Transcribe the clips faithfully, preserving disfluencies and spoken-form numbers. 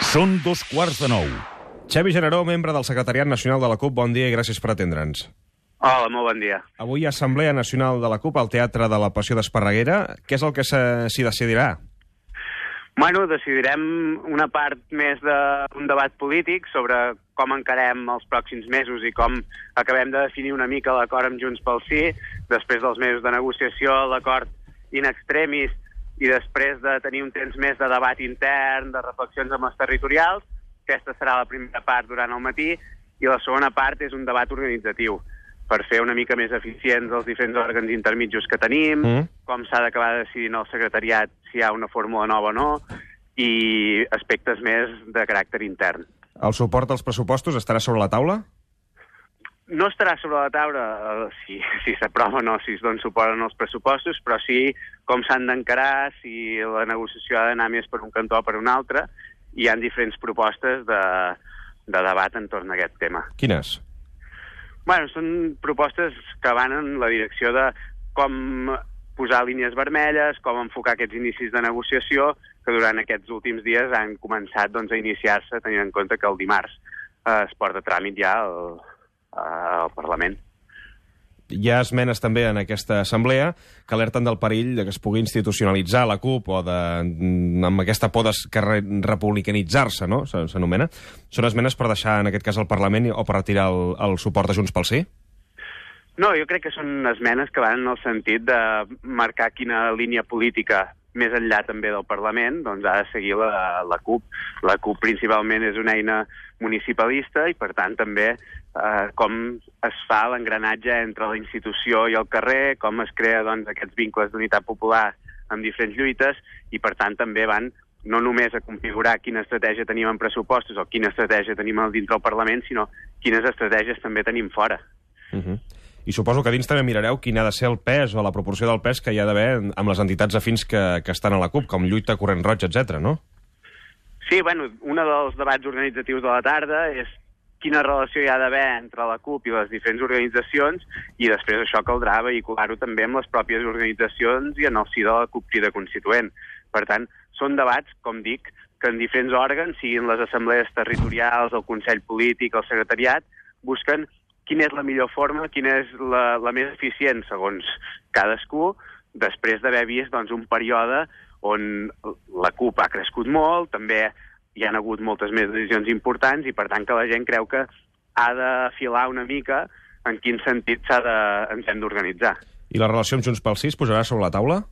Són dos quarts de nou. Xavi Generó, membre del Secretariat Nacional de la CUP, bon dia i gràcies per atendre'ns. Hola, molt bon dia. Avui hi ha Assemblea Nacional de la CUP al Teatre de la Passió d'Esparreguera. Què és el que s'hi decidirà? Bueno, decidirem una part més d'un debat polític sobre com encarem els pròxims mesos i com acabem de definir una mica l'acord amb Junts pel Sí, després dels mesos de negociació, l'acord in extremis, i després de tenir un temps més de debat intern, de reflexions amb els territorials. Aquesta serà la primera part durant el matí, i la segona part és un debat organitzatiu, per fer una mica més eficients els diferents òrgans intermitjos que tenim, mm. com s'ha d'acabar decidint el secretariat si hi ha una fórmula nova o no, i aspectes més de caràcter intern. El suport als pressupostos estarà sobre la taula? No estarà sobre la taula eh, si, si s'aprova o no, si es dona suport en els pressupostos, però sí com s'han d'encarar, si la negociació ha d'anar més per un cantó o per un altre. Hi ha diferents propostes de, de debat entorn a aquest tema. Quines? Bueno, són propostes que van en la direcció de com posar línies vermelles, com enfocar aquests inicis de negociació, que durant aquests últims dies han començat doncs, a iniciar-se, tenint en compte que el dimarts eh, es porta a tràmit ja el, al Parlament. Hi ha esmenes també en aquesta assemblea que alerten del perill de que es pugui institucionalitzar la CUP o de, amb aquesta por de republicanitzar-se, no? S'anomena. Són esmenes per deixar, en aquest cas, el Parlament o per retirar el, el suport a Junts pel Sí? No, jo crec que són esmenes que van en el sentit de marcar quina línia política més enllà també del Parlament, doncs ha de seguir la, la CUP. La CUP principalment és una eina municipalista i, per tant, també eh, com es fa l'engranatge entre la institució i el carrer, com es crea doncs, aquests vincles d'unitat popular amb diferents lluites i, per tant, també van no només a configurar quina estratègia tenim en pressupostos o quina estratègia tenim dintre del Parlament, sinó quines estratègies també tenim fora. Uh-huh. I suposo que dins també mirareu quin ha de ser el pes o la proporció del pes que hi ha d'haver amb les entitats afins que, que estan a la CUP, com Lluita, Corrent Roig, etcètera, no? Sí, bueno, un dels debats organitzatius de la tarda és quina relació hi ha d'haver entre la CUP i les diferents organitzacions, i després això caldrà vehicular-ho també amb les pròpies organitzacions i en el si de la CUP Crida Constituent. Per tant, són debats, com dic, que en diferents òrgans, siguin les assemblees territorials, el Consell Polític, el Secretariat, busquen quina és la millor forma, quina és la, la més eficient segons cadascú, després d'haver vist doncs, un període on la CUP ha crescut molt, també hi ha hagut moltes més decisions importants i per tant que la gent creu que ha de filar una mica en quin sentit s'ha de, ens hem d'organitzar. I la relació amb Junts pel Sí es posarà sobre la taula?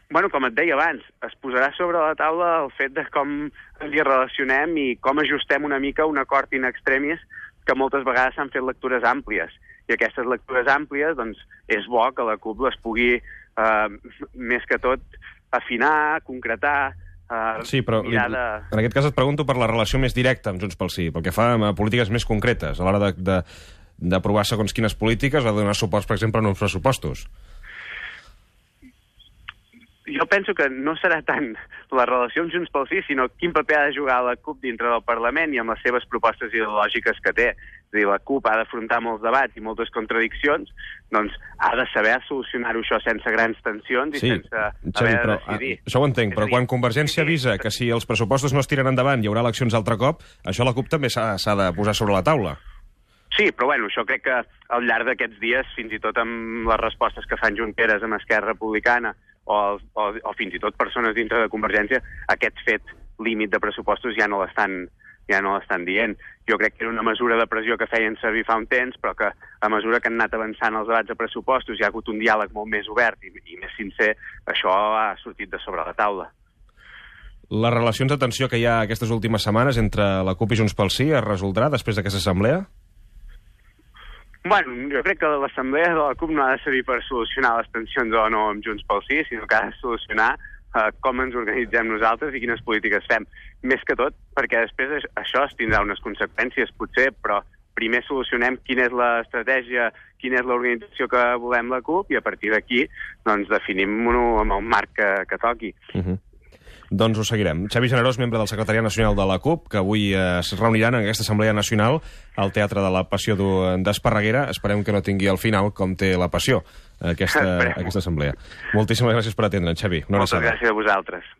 Bueno, com et deia abans, es posarà sobre la taula el fet de com ens hi relacionem i com ajustem una mica un acord in extremis que moltes vegades s'han fet lectures àmplies. I aquestes lectures àmplies, doncs, és bo que la CUP les pugui, eh, més que tot, afinar, concretar, eh, sí, però mirar de... en aquest cas et pregunto per la relació més directa amb Junts pel Sí, pel que fa a polítiques més concretes, a l'hora d'aprovar segons quines polítiques o de donar suports, per exemple, en uns pressupostos. Jo penso que no serà tant la relació amb Junts pel Sí, sinó quin paper ha de jugar la CUP dintre del Parlament i amb les seves propostes ideològiques que té. És a dir, la CUP ha d'afrontar molts debats i moltes contradiccions, doncs ha de saber solucionar-ho això sense grans tensions i sí, sense Xavi, haver de però, decidir. Això ho entenc, però quan Convergència avisa que si els pressupostos no es tiren endavant hi haurà eleccions altre cop, això la CUP també s'ha de posar sobre la taula. Sí, però bueno, això crec que al llarg d'aquests dies, fins i tot amb les respostes que fan Junqueras amb Esquerra Republicana o, o, o fins i tot persones dintre de Convergència, aquest fet límit de pressupostos ja no l'estan ja no l'estan dient. Jo crec que era una mesura de pressió que feien servir fa un temps, però que a mesura que han anat avançant els debats de pressupostos hi ha hagut un diàleg molt més obert i, i més sincer, això ha sortit de sobre la taula. Les relacions de tensió que hi ha aquestes últimes setmanes entre la CUP i Junts pel Sí es resoldrà després d'aquesta assemblea? Bueno, jo crec que l'assemblea de la CUP no ha de servir per solucionar les tensions o no amb Junts pel Sí, sinó que ha de solucionar uh, com ens organitzem nosaltres i quines polítiques fem. Més que tot, perquè després això es tindrà unes conseqüències, potser, però primer solucionem quina és l'estratègia, quina és l'organització que volem la CUP i a partir d'aquí doncs, definim-ho amb el marc que, que toqui. Uh-huh. Doncs ho seguirem. Xavi Generós, membre del Secretariat Nacional de la CUP, que avui eh, es reuniran en aquesta Assemblea Nacional al Teatre de la Passió d'Esparreguera. Esperem que no tingui al final com té la passió aquesta, aquesta assemblea. Moltíssimes gràcies per atendre'ns, Xavi. Moltes gràcies a vosaltres.